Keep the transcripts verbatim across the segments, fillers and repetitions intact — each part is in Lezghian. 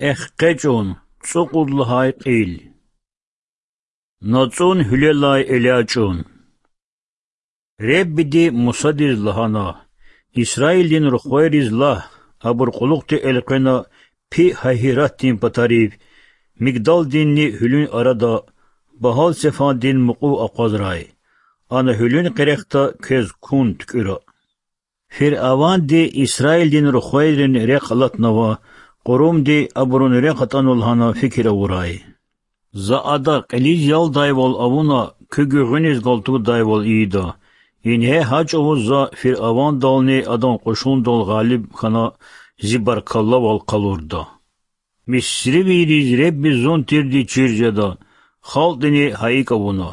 ЭхкъечӀун, цӀукьуд лагьай кьил. НацӀун гьуьлелай элячӀун. Реббиди Мусадиз лагьана: Исраилдин рухвайриз лагь, абур кьулухъди элкъвена Пи-Гьагьиратдин патарив, Мигдалдинни гьуьлуьн арада, Багьал-Цефандин мукьув акъвазрай. Ана гьуьлуьн къерехда квез кун туькӀуьра. Фиръаванди Исраилдин рухвайрин рехъ алатнава, Кьурумди абурун рехъ атӀанва лагьана фикир авурай. За ада кьилиз ялдайвал авуна, куь гуьгъуьниз галтугдайвал ийида. Ингье гьа чӀавуз за фиръавандални адан кьушундал гъалиб хьана, зи баркаллавал къалурда. Мисривийриз Ребби зун тирди чир жеда. Халкьдини гьа икӀ авуна.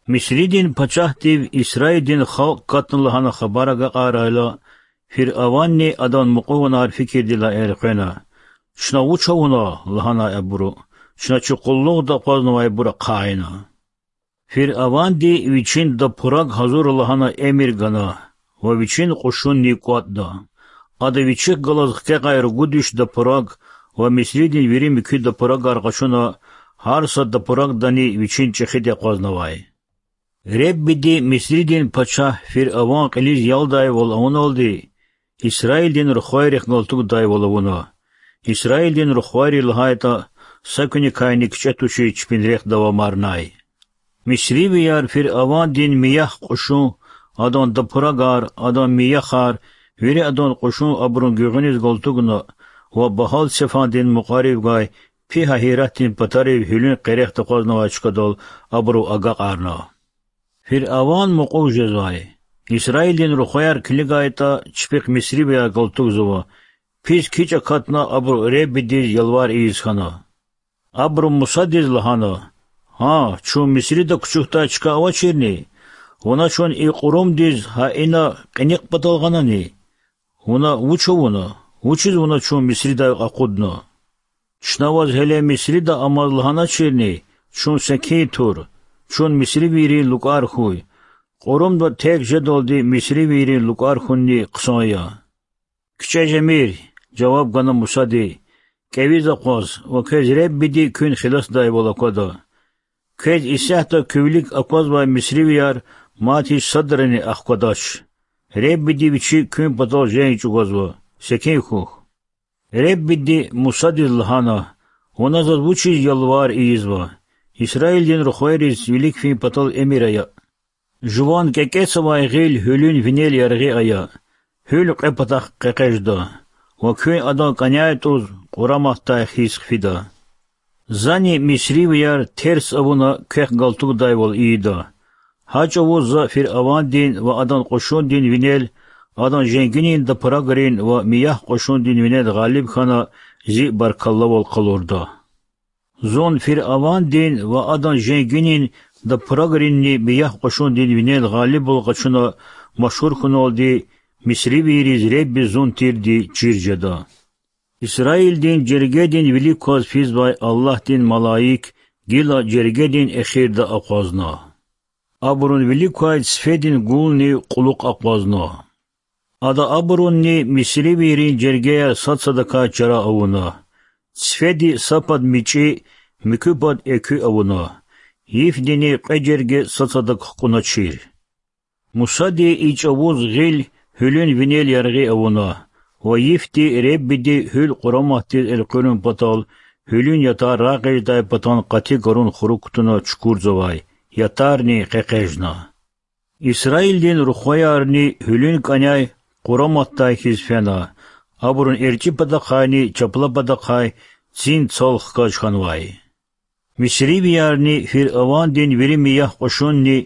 Мисридин пачагьдив Исраилдин халкь катна лагьана хабар агакьарайла, фиръаванни адан мукьуванар фикирдилай элкъвена: Чна вуч авуна? лагьанай абуру. Чна чи къуллугъда акъвазнавайбур ахъайна. Фиръаванди вичин дапураг гьазур лагьана эмир гана ва вичин кьушунни кӀватӀда. Ада вичихъ галаз хкягъай ругуд виш дапураг ва Мисридин вири муькуь дапурагар къачуна, гьар са дапурагдани вичин чӀехиди акъвазнавай. Реббиди Мисридин пачагь фиръаван кьилиз ялдайвал авуналди, Исраилдин рухвайрихъ галтугдайвал авуна. Исраилдин рухвайри лагьайтӀа, са куьникайни кичӀе тушиз чпин рехъ давамарнай. Мисривияр фиръавандин миях кьушун, адан дапурагар, адан мияхар, вири адан кьушун абурун гуьгъуьниз галтугна ва Багьал-Цефандин мукьварив гвай Пи-Гьагьиратдин патарив гьуьлуьн къерехда акъвазнавай чкадал абуру агакьарна. Фиръаван мукьув жезвай: Исраилдин рухваяр килигайтӀа, чпихъ мисривияр галтугзава. Пис кичӀ акатна абуру Реббидиз ялвар ийиз хьана. Абуру Мусадиз лагьана: Гьа, чун Мисрида кучукдай чка авачирни? Вуна чун и кьурумдиз гьа ина кьиникь патал гъанани? Вуна вуч авуна? Вучиз вуна чун Мисридай акъудна? Чна ваз гьеле Мисрида амаз лагьаначирни, чун секин тур, чун мисривийрин лукӀар хьуй. Кьурумда терг жедалди мисривийрин лукӀар хьунни хъсан я. КичӀе жемир,— жаваб гана Мусади,— кӀевиз акъваз ва квез Реббиди куьн хиласдайвал аквада. Квез исятда куь вилик аквазвай мисривияр мад гьич садрани ахквадач. Реббиди Вичи куьн патал женг чӀугвазва. Секин хьухь. Реббиди Мусадиз лагьана: Вуна заз вучиз ялвар ийизва? Исраилдин рухвайриз вилик фин патал эмир ая: жуван кӀекӀецавай гъил гьуьлуьн винел яргъи ая, гьуьл кьве патахъ къекъе жеда, ва куьн адан кӀаняй тӀуз къураматдай хьиз хъфида. Зани мисривияр терс авуна квехъ галтугдайвал ийида. Гьа чӀавуз за фиръавандин ва адан кьушундин винел, адан женгинин дапурагрин ва миях кьушундин винел гъалиб хьана, зи баркаллавал къалурда. Зун фиръавандин ва адан женгинин дапурагринни миях кьушундин винел гъалибвал къачуна машгьур хьуналди, мисривийриз Ребби зун тирди чир жеда. Исраилдин жергедин вилик кваз физвай Аллагьдин малаик гила жергедин эхирда акъвазна. Абурун вилик квай цифедин гулни кьулухъ акъвазна. Ада абурунни мисривийрин жергеяр сад-садакай чара авуна. Цифеди са пад мичӀи, муькуь пад экуь авуна. Йифдини кьве жерге сад-садак хкӀуначир. Мусади и чӀавуз гъил гьуьлуьн винел яргъи авуна ва йифди Реббиди гьуьл къураматдиз элкъуьрун патал гьуьлуьн ятар рагъ эгъидай патан къати гарун хурук кутуна чукурзавай, ятарни къекъежна. Исраилдин рухваярни гьуьлуьн кӀаняй къураматдай хьиз фена, абурун эрчӀи патахъайни чапла патахъай цин цал хкаж хьанвай. Мисривиярни фиръавандин вири мияхъ кьушунни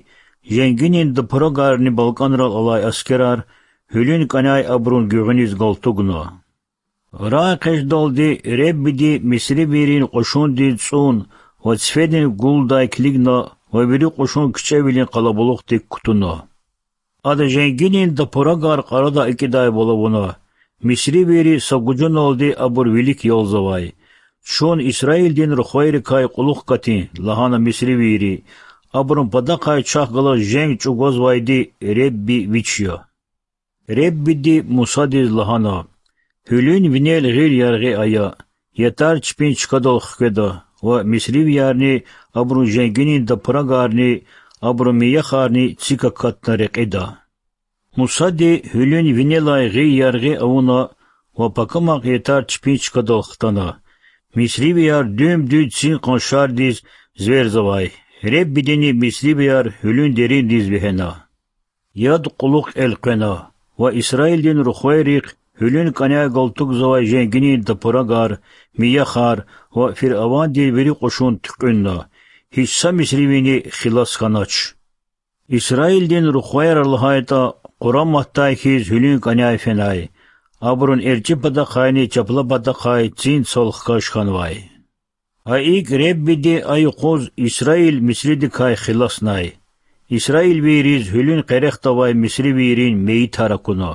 женгинин дапурагарни балкӀанрал алай аскерар гьуьлуьн кӀаняй абурун гуьгъуьниз галтугна. РагъэкъечӀдалди Реббиди мисривийрин кьушундин цӀун ва цифедин гулдай килигна ва вири кьушун кичӀевилин къалабулухдик кутуна. Ада женгинин дапурагар кьарадай акӀидайвал авуна, мисривийри са гужуналди абур вилик ялзавай. Чун Исраилдин рухвайрикай кьулухъ катин,— лагьана мисривийри,— абурун патахъай чахъ галаз женг чӀугвазвайди Ребби Вич я. Реббиди Мусадиз лагьана: Гьуьлуьн винел гъил яргъи ая, ятар чпин чкадал хкведа ва мисривиярни, абурун женгинин тапурагарни, абурун мияхарни цик акатна рекьида. Мусади гьуьлуьн винелай гъил яргъи авуна ва пакамахъ ятар чпин чкадал хтана. Мисривияр дуьм-дуьз цин къаншардиз зверзавай, Реббидини мисривияр гьуьлуьн деринриз вегьена. Яд кьулухъ элкъвена ва Исраилдин рухвайрихъ гьуьлуьн кӀаняй галтугзавай женгинин тапурагар, мияхар ва фиръавандин вири кьушун туькьуьнна, гьич са мисривини хилас хьанач. Исраилдин рухваяр лагьайтӀа, къураматдай хьиз гьуьлуьн кӀаняй фенай, абурун эрчӀи патахъайни чапла патахъай цин цал хкаж хьанвай. Гьа икӀ Реббиди а юкъуз Исраил Мисридикай хиласнай, исраилвийриз гьуьлуьн къерехда авай мисривийрин мейитар акуна.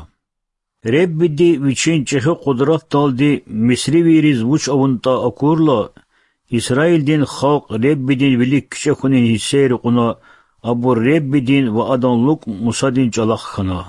Реббиди Вичин чӀехи къудратдалди мисривийриз вуч авунатӀа акурла, Исраилдин халкь Реббидин вилик кичӀе хьунин гьиссейри кьуна, абур Реббидин ва Адан лукӀ Мусадин чӀалахъ хьана.